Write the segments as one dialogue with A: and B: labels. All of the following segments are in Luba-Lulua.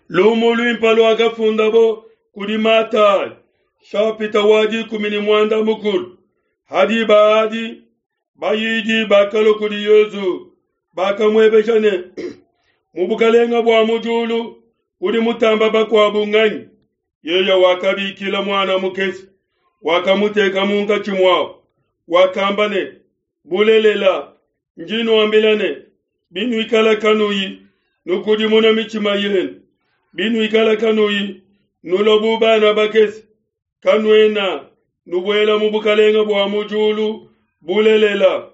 A: Lumu luimpe luakafundabo kudi Matayi, shapita wa 16. Ha diba adi bayidi bakalua kudi Yezu, bakamuebeja ne, mu bukalenga bua mu diulu udi mutamba bakuabu nganyi? Yeye wakabikila muana mukese, wakamuteka munkatshi muabu, wakamba ne, bulelela ndi nuambila ne, binuikala kanuyi nukudimuna mitshima yenu, binuikala kanuyi nulua bu bana bakese, kanuena nubuela mu bukalenga bua mu diulu. Bulelela,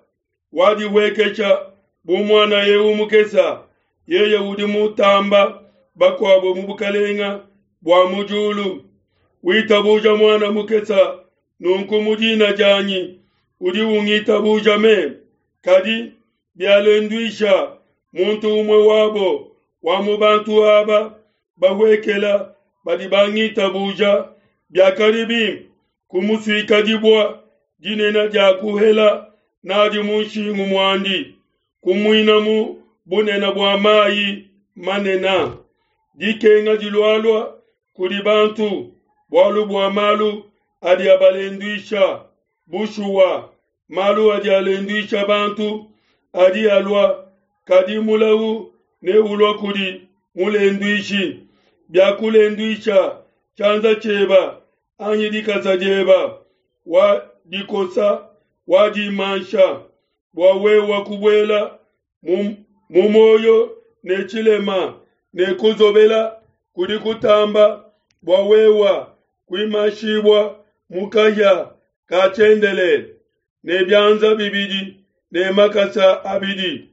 A: wadihuekesha bu muana eu mukesa, yeye udi mutamba bakuabo mu bukalenga bua mu diulu. Witabuja muana mukesa nunku mu dina dianyi, udi ungitabuja meme. Kadi bialenduisha muntu umue wabo wa mu bantu aba bahuekela badi bangitabuja, biakadi bimpe kumusuika dibua dinene dia kuhela nadi mu nshingu muandi, kumuina mu bunene bua mayi manene. Dikenga dilualua kudi bantu bualu bua malu adi abalenduisha. Bushuwa, malu adi alenduisha bantu adi alua, kadi mulau ne ulua kudi mulenduishi. Biakulenduisha tshianza tshieba anyi dikasa dieba, wa dikosa wa dimansha, bua wewa kubuela mu moyo ne tshilema ne kuzobela kudi kutamba, bua wewa kuimashibua mu kahia ka tshiendelele ne bianza bibidi ne makasa abidi.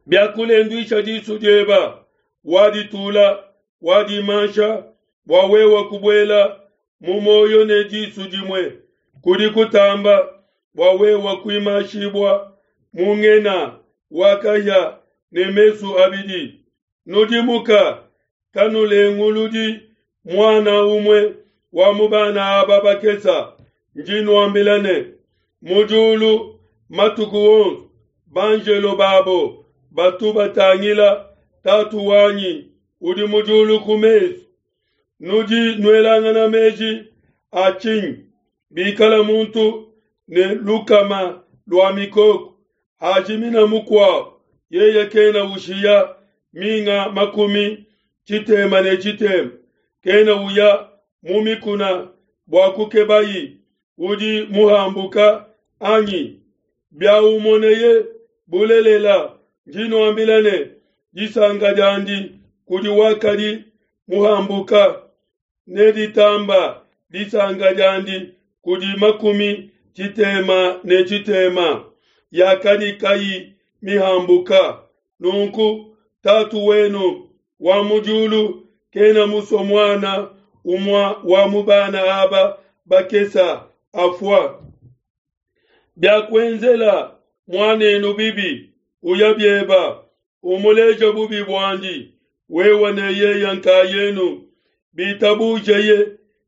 A: Biakulenduisha disu dieba, waditula wadimansha, bua wewa kubuela mu moyo ne disu dimue kudi kutamba, bua wewa kuimashibua mu ngena wa kahia ne mesu abidi. Nudimuka, kanulenguludi muana umue wa mu bana aba bakesa. Ndi nuambila ne, mu diulu matuku onso banjelo babo batu batangila Tatu wanyi udi mu diulu ku mesu. Nudi nuelangana meji a tshinyi? Bikala muntu ne lukama lua mikoko, hajimina mukuabo, yeye kena ushiya minga 63, kena uya mu mikuna bua kukebayi udi muhambuka anyi? Biaumoneye, bulelela ndi nuambila ne, disanka diandi kudi wakadi muhambuka ne ditamba disanka diandi kudi 66 yakadi kayi mihambuka. Nunku Tatu wenu wa mu diulu kena musue muana umue wa mu bana aba bakesa afua. Biakuenzela muanenu bibi, uya bieba, umuleje bubi buandi, wewe ne yeye nkayenu. Bitabujeye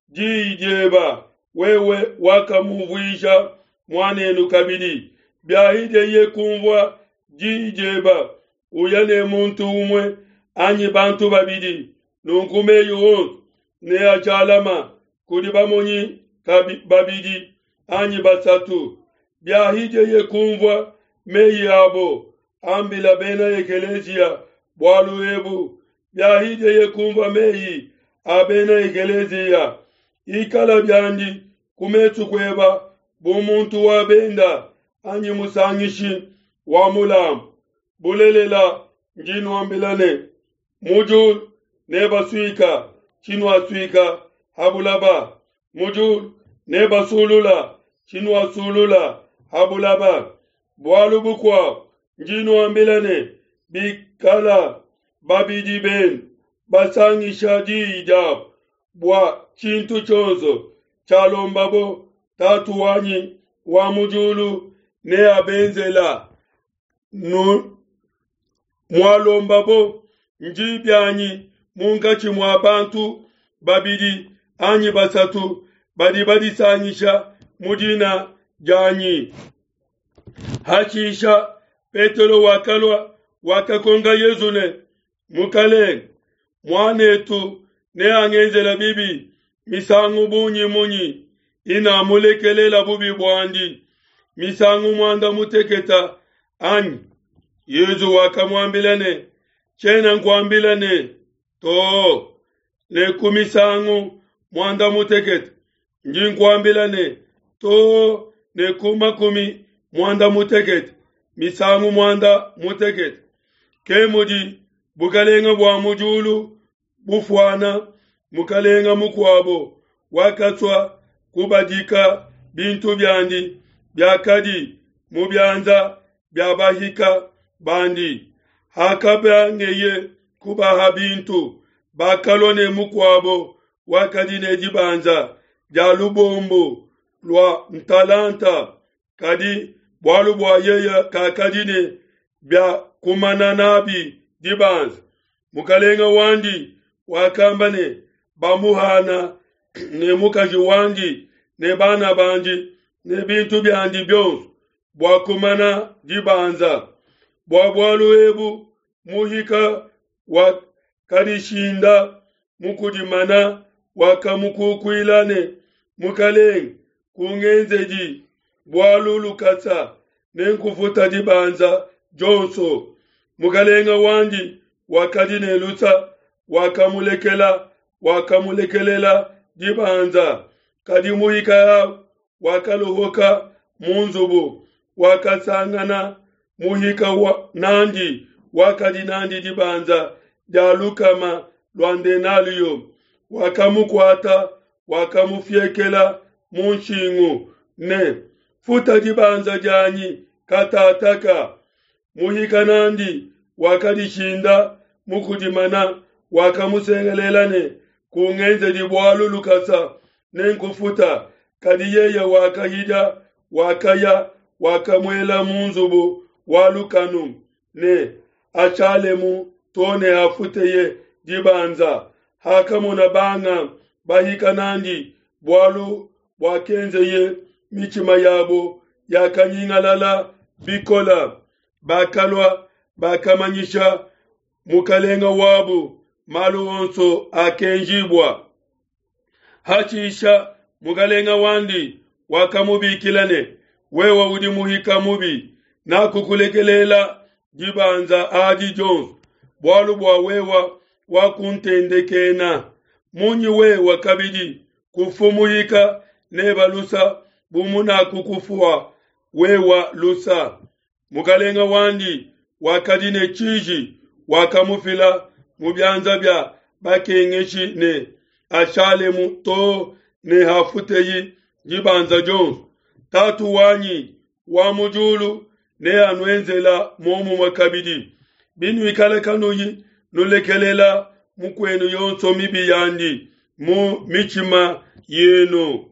A: diyi dieba, wewe wakamuvuija muanenu kabidi. Biahideye kumvua diyi dieba, uya ne muntu umue anyi bantu babidi, nunku meyi onso neajalama kudi bamonyi babidi anyi basatu. Biahideye kumvua meyi abo, ambila bena ekeleziya bualu ebu. Biahideye kumvua meyi a bena ekeleziya, ikala biandi ku mesu kueba bu muntu wa benda anyi musangishi wa mulambu. Bulelela ndi nuambila ne, mu diulu nebasuika tshinuasuika ha bulaba, mu diulu nebasulula tshinuasulula ha bulaba. Bualu bukuabu ndi nuambila ne, bikala babidi benu basangisha diyi diabo bua tshintu tshionso tshialombabo, Tatu wanyi wa mu diulu neabenzela. Mualombabo ndi bianyi munkatshi mua bantu babidi anyi basatu badi badisangisha mu dina dianyi. Hashisha Petelo wakalua, wakakonka Yezu ne, Mukalenge, Muanetu neangenzela bibi misangu bungi munyi inamulekelela bubi buandi? Misangu muanda muteketa anyi? Yezu wakamuambila ne, Tshiena nkuambila ne, too ne ku misangu muanda mutekete, ndi nkuambila ne, too ne ku makumi muanda mutekete misangu muanda mutekete. Ke mudi bukalenge bua mu diulu bufuana mukalenge mukuabo wakasua kubadika bintu biandi biakadi mu bianza bia bahika bandi. Hakabangeye kubaha bintu, bakalua ne mukuabo wakadi ne dibanza dia lubombo lua ntalanta, kadi bualu bua yeye kakadi ne bia kumana nabi dibanza. Mukalenga wandi wakamba ne, Bamuhana ne mukaji wandi ne bana bandi ne bintu biandi bionso bua kumana dibanza. Bua bualu ebu muhika wakadishinda mu kudimana, wakamukukuila ne, Mukalenge, kungenzedi bualu lukasa, nenkufuta dibanza dionso. Mukalenge wandi wakadi ne lusa, wakamulekela, wakamulekelela dibanza. Kadi muhika au wakaluhuka mu nzubu, wakasangana muhika wa nandi wakadi nandi dibanza dia lukama lua ndenalio, wakamukuata, wakamufiekela mu nshingu ne, Futa dibanza dianyi katataka. Muhika nandi wakadishinda mu kudimana, wakamusengelela ne, Kungenzedi bualu lukasa, nenkufuta. Kadi yeye wakahidia, wakaya, wakamuela mu nzubu wa lukanu ne ashalemu to ne hafuteye dibanza. Hakamona banga bahika nandi bualu buakenzeye, mitshima yabo yakanyingalala bikola. Bakalua, bakamanyisha mukalenga wabu malu onso akenjibua. Hashisha mukalenga wandi wakamubikila ne, Wewe udi muhika mubi, nakukulekelela dibanza adi dionso, bualu bua wewe wakuntendekena. Munyi wewe kabidi kufu muhika neba lusa bu munakukufua wewe lusa? Mukalenga wandi wakadi ne tshiji, wakamufila mu bianza bia bakengeshi ne ashalemu too ne hafuteyi dibanza dionso. Tatu wanyi wa mu diulu neanuenzela muomumue kabidi, binuikala kanuyi nulekelela mukuenu yonso mibi yandi mu mitshima yenu.